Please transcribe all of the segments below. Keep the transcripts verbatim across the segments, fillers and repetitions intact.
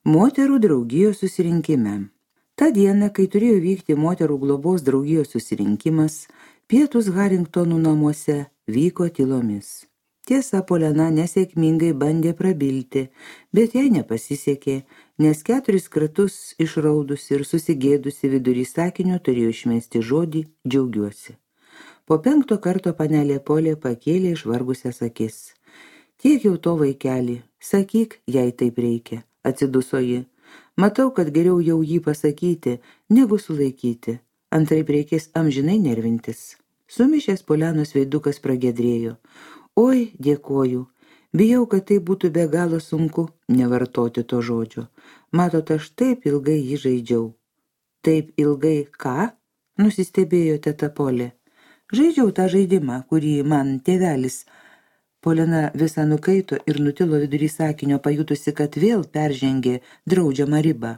Moterų draugijos susirinkime. Ta diena, kai turėjo vykti moterų globos draugijos susirinkimas, pietus Haringtonų namuose vyko tylomis. Tiesa, Polena nesėkmingai bandė prabilti, bet jai nepasisekė, nes keturis kartus išraudusi ir susigėdusi vidury sakinio turėjo išmesti žodį džiaugiuosi. Po penkto karto panelė Polė pakėlė išvargusias akis. Tiek jau to vaikelį, sakyk, jei taip reikia, atsiduso ji. Matau, kad geriau jau jį pasakyti, negu sulaikyti. Antraip reikės amžinai nervintis. Sumišęs Polenos veidukas pragedrėjo. Oi, dėkoju. Bijau, kad tai būtų be galo sunku nevartoti to žodžio. Matot, aš taip ilgai jį žaidžiau. Taip ilgai ką? Nusistebėjo teta Polė. Žaidžiau tą žaidimą, kurį man tėvelis. Polena visą nukaito ir nutilo vidury sakinio, pajutusi, kad vėl peržengė draudžiamą ribą.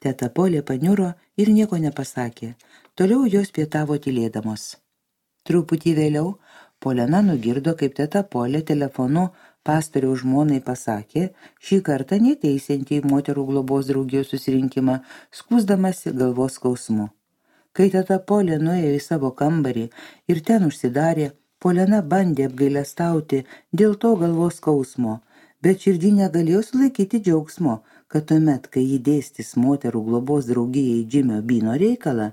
Teta Polė paniuro ir nieko nepasakė. Toliau jos pietavo tylėdamos. Truputį vėliau Polena nugirdo, kaip teta Polė telefonu pastoriaus žmonai pasakė, šį kartą neteisiantį į moterų globos draugijos susirinkimą, skųsdamasi galvos skausmu. Kai teta Polė nuėjo į savo kambarį ir ten užsidarė, Polena bandė apgailestauti dėl to galvos skausmo, bet širdį negalėjo sulaikyti džiaugsmo, kad tuomet, kai jį dėstys moterų globos draugijai Džimio Byno reikalą,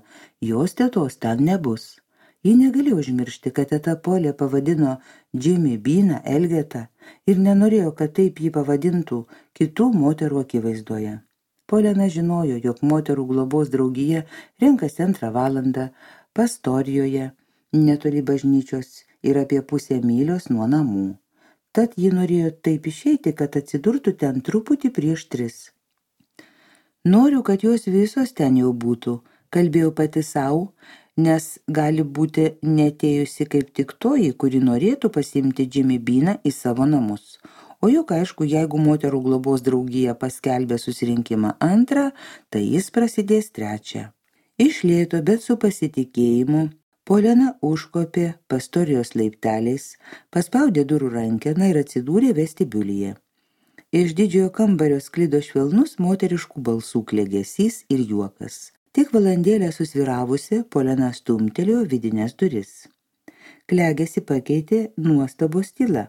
jos tetos ten nebus. Ji negalėjo užmiršti, kad teta Polė pavadino Džimį Byną Elgetą ir nenorėjo, kad taip jį pavadintų kitų moterų akivaizdoje. Polena žinojo, jog moterų globos draugija renkasi antrą valandą Pastorijoje, netoli bažnyčios ir apie pusę mylios nuo namų. Tad ji norėjo taip išeiti, kad atsidurtų ten truputį prieš tris. Noriu, kad jos visos ten jau būtų, kalbėjau pati savo, nes gali būti netėjusi kaip tik toji, kuri norėtų pasiimti Džimį Byną į savo namus. O juk aišku, jeigu moterų globos draugija paskelbė susirinkimą antrą, tai jis prasidės trečią. Iš lėto, bet su pasitikėjimu, Polena užkopė pastorijos laipteliais, paspaudė durų rankeną ir atsidūrė vestibiulyje. Iš didžiojo kambario sklido švelnus moteriškų balsų klegesys ir juokas. Tik valandėlę susviravusi, Polena stumtelėjo vidinės duris. Klegesi pakeitė nuostabos tyla.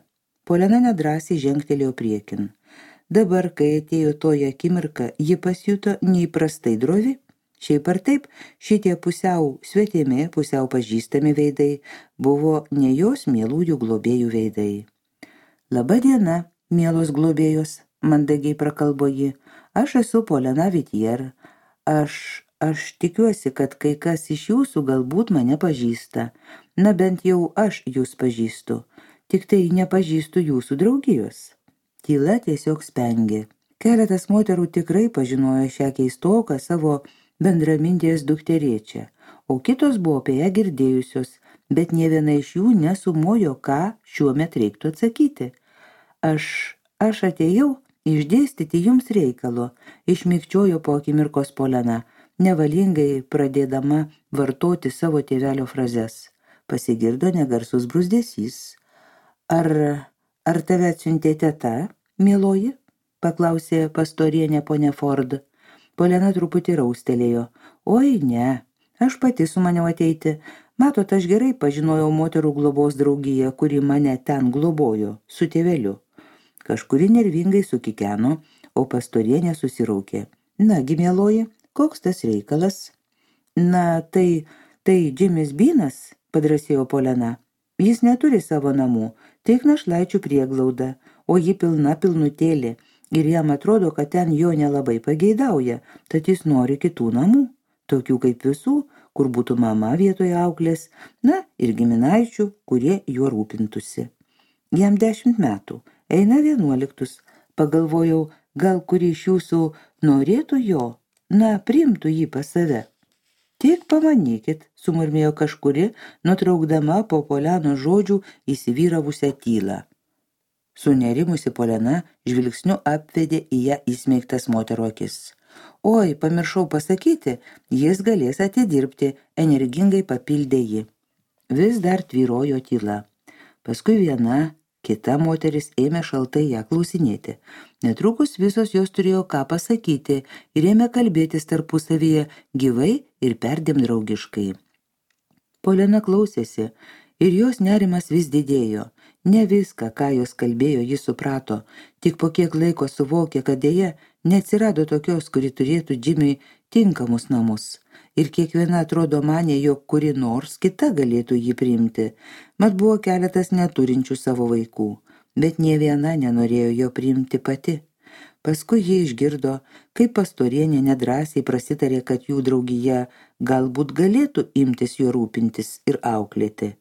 Polena nedrąsiai žengtelėjo priekin. Dabar, kai atėjo toji akimirka, ji pasijuto neįprastai drovi. Šiaip ar taip, šitie pusiau svetimi, pusiau pažįstami veidai buvo ne jos mielųjų globėjų veidai. Labą dieną, mielos globėjos, mandagiai prakalbo ji. Aš esu Polena Vitier. Aš, aš tikiuosi, kad kai kas iš jūsų galbūt mane pažįsta. Na bent jau aš jūs pažįstu. Tik tai nepažįstu jūsų draugijos. Tyla tiesiog spengė. Keletas moterų tikrai pažinojo šią keistoką savo bendramintės dukterėčią, o kitos buvo apie ją girdėjusios, bet nė viena iš jų nesumojo, ką šiuo metu reiktų atsakyti. Aš, aš atėjau išdėstyti jums reikalo, išmikčiojo po akimirkos Polena, nevalingai pradėdama vartoti savo tėvelio frazes. Pasigirdo negarsus bruzdesys. Ar, ar tave atsiuntė teta, mieloji? Paklausė pastorienė ponia Ford. Polena truputį raustelėjo. Oi, ne, aš pati sumaniau ateiti. Matot, aš gerai pažinojau moterų globos draugiją, kuri mane ten globojo, su tėveliu. Kažkuri nervingai sukikeno, o pastorienė susiraukė. Nagi, mieloji, koks tas reikalas? Na, tai, tai Džimis Bynas, padrasėjo Polena. Jis neturi savo namų, tik našlaičių prieglauda, o ji pilna pilnutėlė. Ir jam atrodo, kad ten jo nelabai pageidauja, tad jis nori kitų namų, tokių kaip visų, kur būtų mama vietoje auklės, na ir giminaičių, kurie juo rūpintųsi. Jam dešimt metų, eina vienuoliktus, pagalvojau, gal kuri iš jūsų norėtų jo, na, priimtų jį pas save. Tik pamanykit, sumurmėjo kažkuri, nutraukdama po Polenos žodžių įsivyravusią tylą. Sunerimusi Polena žvilgsniu apvedė į ją įsmeigtas moterų akis. Oi, pamiršau pasakyti, jis galės atidirbti, energingai papildė ji. Vis dar tvyrojo tyla. Paskui viena, Kita moteris ėmė šaltai ją klausinėti. Netrukus visos jos turėjo ką pasakyti ir ėmė kalbėtis tarpusavyje gyvai ir perdėm draugiškai. Polena klausėsi ir jos nerimas vis didėjo. Ne viską, ką jos kalbėjo, ji suprato, tik po kiek laiko suvokė, kad dėja neatsirado tokios, kuri turėtų Džimiui tinkamus namus. Ir kiekviena atrodo manė, jog kuri nors kita galėtų jį priimti. Mat buvo keletas neturinčių savo vaikų, bet nė viena nenorėjo jo priimti pati. Paskui jie išgirdo, kaip pastorienė nedrąsiai prasitarė, kad jų draugija galbūt galėtų imtis jo rūpintis ir auklėti.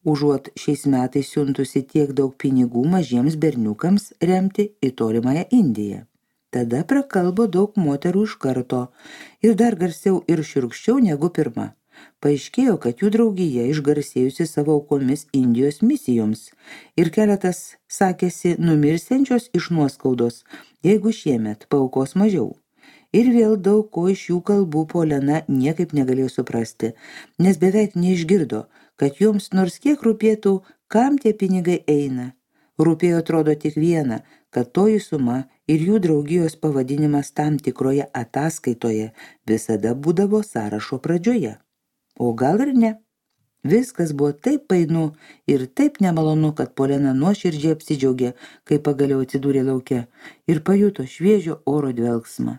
Užuot šiais metais siuntusi tiek daug pinigų mažiems berniukams remti į tolimąją Indiją. Tada prakalbo daug moterų iš karto ir dar garsiau ir šiurkščiau negu pirma. Paaiškėjo, kad jų draugija išgarsėjusi savo aukomis Indijos misijoms ir keletas sakėsi numirsiančios iš nuoskaudos, jeigu šiemet paaukos mažiau. Ir vėl daug ko iš jų kalbų Polena niekaip negalėjo suprasti, nes beveik neišgirdo, kad joms nors kiek rūpėtų, kam tie pinigai eina. Rūpėjo atrodo tik viena, kad toji suma ir jų draugijos pavadinimas tam tikroje ataskaitoje visada būdavo sąrašo pradžioje. O gal ir ne. Viskas buvo taip painu ir taip nemalonu, kad Polena nuoširdžiai apsidžiaugė, kai pagaliau atsidūrė lauke ir pajuto šviežio oro dvelksmą.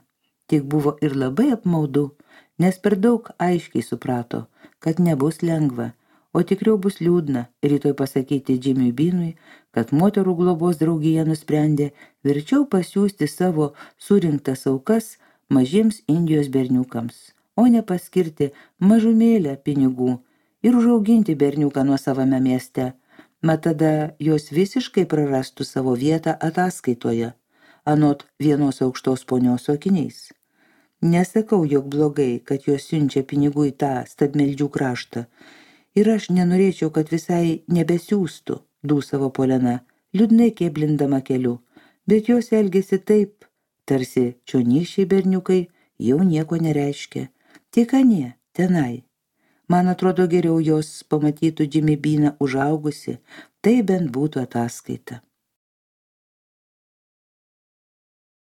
Tik buvo ir labai apmaudu, nes per daug aiškiai suprato, kad nebus lengva, o tikriau bus liūdna rytoj pasakyti Džimiui Binui, kad moterų globos draugija nusprendė verčiau pasiųsti savo surinktas aukas mažiems Indijos berniukams, o ne paskirti mažumėlę pinigų ir užauginti berniuką nuosavame mieste, mat tada jos visiškai prarastų savo vietą ataskaitoje, anot vienos aukštos ponios akiniais. Nesakau, jog blogai, kad jos siunčia pinigų į tą stabmeldžių kraštą, ir aš nenorėčiau, kad visai nebesiųstų, dūsavo Polena, liūdnai kėblindama keliu, bet jos elgėsi taip, tarsi čionykščiai berniukai jau nieko nereiškia, tik anie, tenai. Man atrodo geriau jos pamatytų Džimį Biną užaugusi, tai bent būtų ataskaita.